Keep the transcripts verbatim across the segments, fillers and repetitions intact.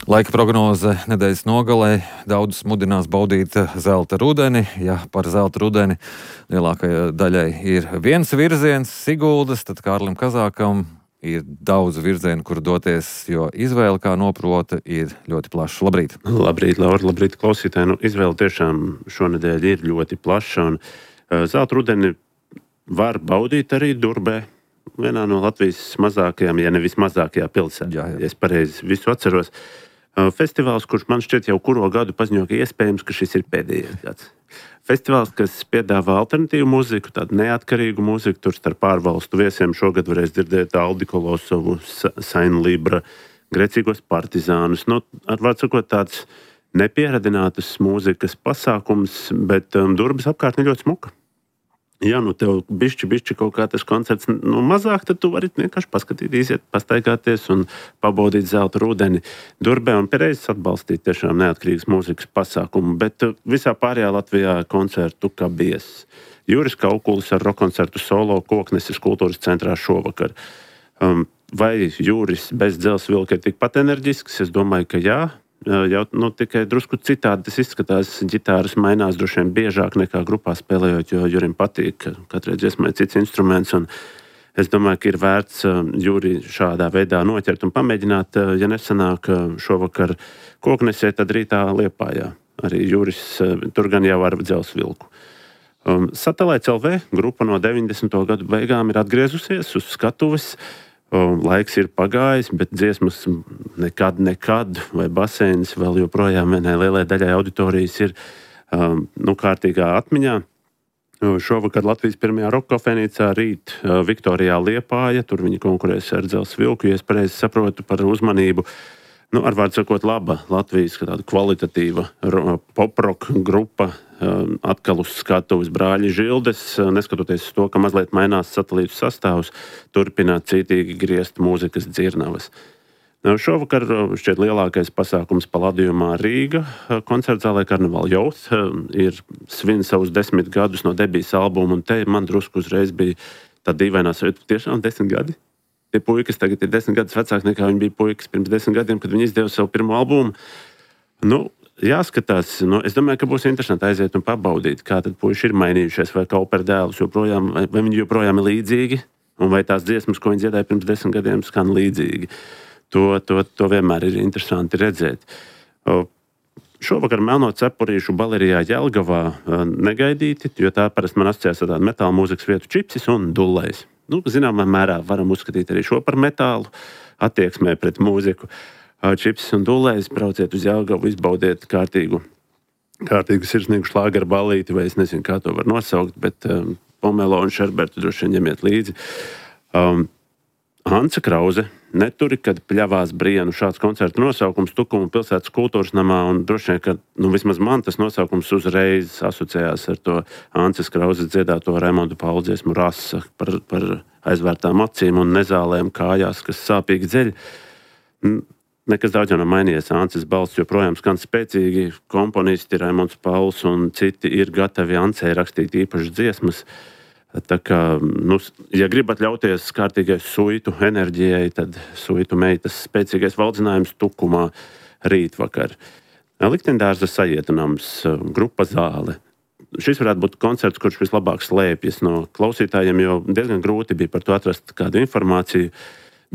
Laika prognoze nedēļas nogalē daudzus mudinās baudīt zelta rudeni. Ja par zelta rudeni lielākajai daļai ir viens virziens, Siguldas, tad Kārlim Kazākam ir daudz virzienu, kur doties, jo izvēle, kā noprota, ir ļoti plaša. Labrīt! Labrīt, Laura, labrīt, klausītāji. Nu, izvēle tiešām šonedēļ ir ļoti plaša, un uh, zelta rudeni var baudīt arī Durbē, vienā no Latvijas mazākajām, ja nevis mazākajā pilsētā, jā, jā. ja es pareizi visu atceros. Uh, festivāls, kurš man šķiet jau kuro gadu paziņo, ka iespējams, ka šis ir pēdējais gads. Festivāls, kas piedāvā alternatīvu mūziku, tādu neatkarīgu mūziku, tur starp ārvalstu viesiem šogad varēs dzirdēt Aldi Kolosovu, Sainu Libra, Grecīgos partizānus. Nu, ar vārdu sakot, tāds nepieradinātas mūzikas pasākums, bet um, Durbas apkārtne ļoti smuka. Ja nu tev bišķi, bišķi kaut kā tas koncerts nu, mazāk, tad tu vari vienkārši paskatīt, iziet, pastaigāties un pabaudīt zelta rudeni Durbē un pierēzes atbalstīt tiešām neatkarīgas mūzikas pasākumu. Bet visā pārējā Latvijā koncertu kā bies. Juris Kaukulis ar rokoncertu solo Kokneses kultūras centrā šovakar. Um, vai Juris bez dzelzs vilka ir tikpat enerģisks? Es domāju, ka jā. Jau, nu, tikai drusku citādi tas izskatās. Ģitāras mainās droši vien biežāk nekā grupā spēlējot, jo Jurim patīk, ka katrai dziesmai cits instruments. Un es domāju, ka ir vērts Juri šādā veidā noķert un pamēģināt. Ja nesanāk šovakar Koknesē, tad rītā Liepājā. Arī Juris tur gan jau ar dzelzs vilku. Um, Satelīts L V grupa no deviņdesmito gadu beigām ir atgriezusies uz skatuves. Laiks ir pagājis, bet dziesmas nekad, nekad, vai basēns vēl joprojām vienai lielai daļai auditorijas ir um, nu, kārtīgā atmiņā. Šovakar Latvijas pirmajā rokkafēnīcā, rīt uh, Viktorijā Liepāja, tur viņi konkurēs ar dzelzs vilku, ja es pareizi saprotu par uzmanību. Nu, ar vārdu sakot, laba Latvijas tāda kvalitatīva pop-rock grupa um, atkal uz skatuves Brāļi Žildes, neskatoties uz to, ka mazliet mainās satelītu sastāvs, turpināt cītīgi griezt mūzikas dzirnavas. Nu, šovakar šķiet lielākais pasākums Paladījumā Rīga koncertzālē Karneval Youth ir svin savus desmit gadus no debijas albuma, un te man drusku uzreiz bija tā dīvainā sajūta, tiešām desmit gadi. Tie puikas tagad ir desmit gadus vecāki nekā viņi bija puikas pirms desmit gadiem, kad viņi izdeva savu pirmo albumu. Nu, jāskatās, nu, es domāju, ka būs interesanti aiziet un pabaudīt, kā tad puiši ir mainījušies, vai Kauper dēlus joprojām, vai, vai viņi joprojām ir līdzīgi, un vai tās dziesmas, ko viņi dziedāja pirms desmit gadiem, skan līdzīgi. To, to, to vienmēr ir interesanti redzēt. O, šovakar Melno cepurīšu balerijā Jelgavā negaidīti, jo tā parasti man asociējas ar tādu metāla mūzikas vietu Čipsis un Dullējs. Nu, zināmā mērā varam uzskatīt arī šo par metālu attieksmē pret mūziku. Čipsis un Dullējs, brauciet uz Jelgavu, izbaudiet kārtīgu, kārtīgu sirsnīgu šlāgeru ballīti, vai es nezinu, kā to var nosaukt, bet um, pomelo un šerbertu droši vien ņemiet līdzi. Um, Hanca Krause, Neturi, kad pļavās Brienu, šāds koncertu nosaukums Tukuma pilsētas kultūras namā, un droši vien, ka nu, vismaz man tas nosaukums uzreiz asociējās ar to Hances Krauzes dziedāto Raimondu Paulu dziesmu Rasa par, par aizvērtām acīm un nezālēm kājās, kas sāpīgi dzeļ. Nekas daudz jau nav mainījies. Hances balss joprojām skan spēcīgi, komponisti Raimonds Pauls un citi ir gatavi Hancei rakstīt īpašas dziesmas. Tā kā, nu, ja gribat ļauties kārtīgai suitu enerģijai, tad suitu meitas spēcīgais valdzinājums Tukumā rītvakar. Liktendārza sajietunams, grupa Zāle. Šis varētu būt koncerts, kurš vislabāk slēpjas no klausītājiem, jo diezgan grūti bija par to atrast kādu informāciju.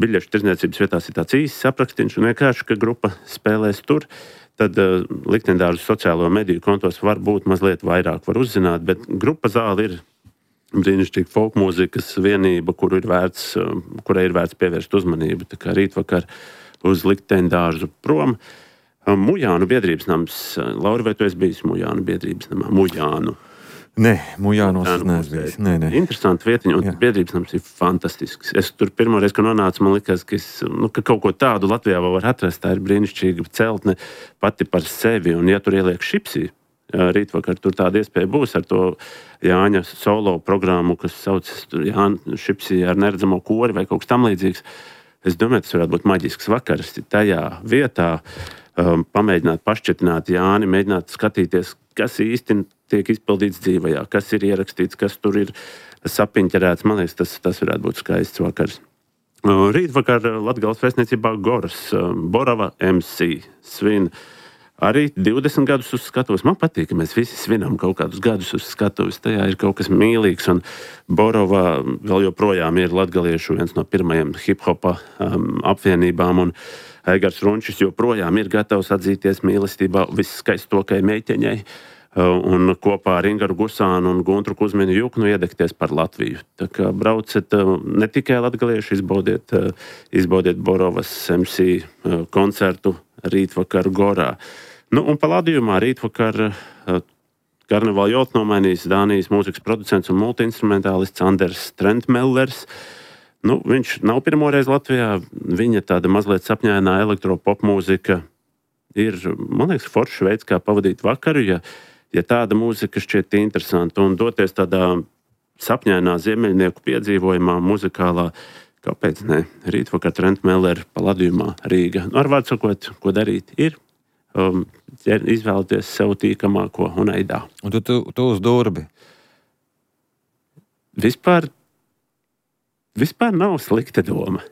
Biļešu tirdzniecības vietās ir tāds īsts aprakstīns un vienkārši, ka grupa spēlēs tur. Tad uh, Liktendārza sociālo mediju kontos var būt mazliet vairāk var uzzināt, bet grupa Zāle ir brīnišķīga folkmūzikas vienība, kuru ir vērts, kurai ir vērts pievērst uzmanību. Tā kā rītvakar uz Liktendārzu prom. Mujānu biedrības nams. Laura, vai tu esi bijis Mujānu biedrības namā? Mujānu. Nē, Mujānos es neesmu bijis. Nē, nē. Interesanti vietiņa, un Jā. biedrības nams ir fantastisks. Es tur pirmoreiz, kad nonācu, man likās, ka, es, nu, ka kaut ko tādu Latvijā vēl var atrast. Tā ir brīnišķīga celtne pati par sevi, un ja tur ieliek šipsī, rītvakar tur tāda iespēja būs ar to Jāņa solo programmu, kas saucas Jāņa šipsī ar neredzamo kori vai kaut kas tam līdzīgs. Es domāju, tas varētu būt maģisks vakars tajā vietā, um, pamēģināt pašķetināt Jāni, mēģināt skatīties, kas īsti tiek izpildīts dzīvajā, kas ir ierakstīts, kas tur ir sapiņķerēts. Man liekas, tas, tas varētu būt skaists vakars. Rītvakar Latgales vēstniecībā Goras Borova M C svin arī divdesmit gadus uz skatuves. Man patīk, ka mēs visi svinam kaut kādus gadus uz skatuves. Tajā ir kaut kas mīlīgs, un Borova vēl joprojām ir latgaliešu viens no pirmajiem hip-hopa um, apvienībām, un Eigars Runčis joprojām ir gatavs atzīties mīlestībā visskaistākajai meiteņai, uh, un kopā ar Ingaru Gusānu un Guntru Kuzminu Juknu iedegties par Latviju. Tā kā brauciet uh, ne tikai latgalieši, izbaudiet, uh, izbaudiet Borovas M C uh, koncertu rītvakar Gorā. Nu, un palādījumā rītvakar karnevāla jautu nomainījis Dānijas mūzikas producents un multiinstrumentālists Anders Trentmellers. Nu, viņš nav pirmoreiz Latvijā. Viņa tāda mazliet sapņainā elektropop mūzika ir, man liekas, foršs veids, kā pavadīt vakaru, ja, ja tāda mūzika šķiet interesanta, un doties tādā sapņainā ziemeļnieku piedzīvojumā, muzikālā, kāpēc ne, rītvakar Trentmeller palādījumā Rīga. Nu, ar vārdu sakot, ko darīt ir? Um, izvēlēties sev tīkamāko un eidā. Un tu, tu, tu uz durbi? Vispār, vispār nav slikta doma.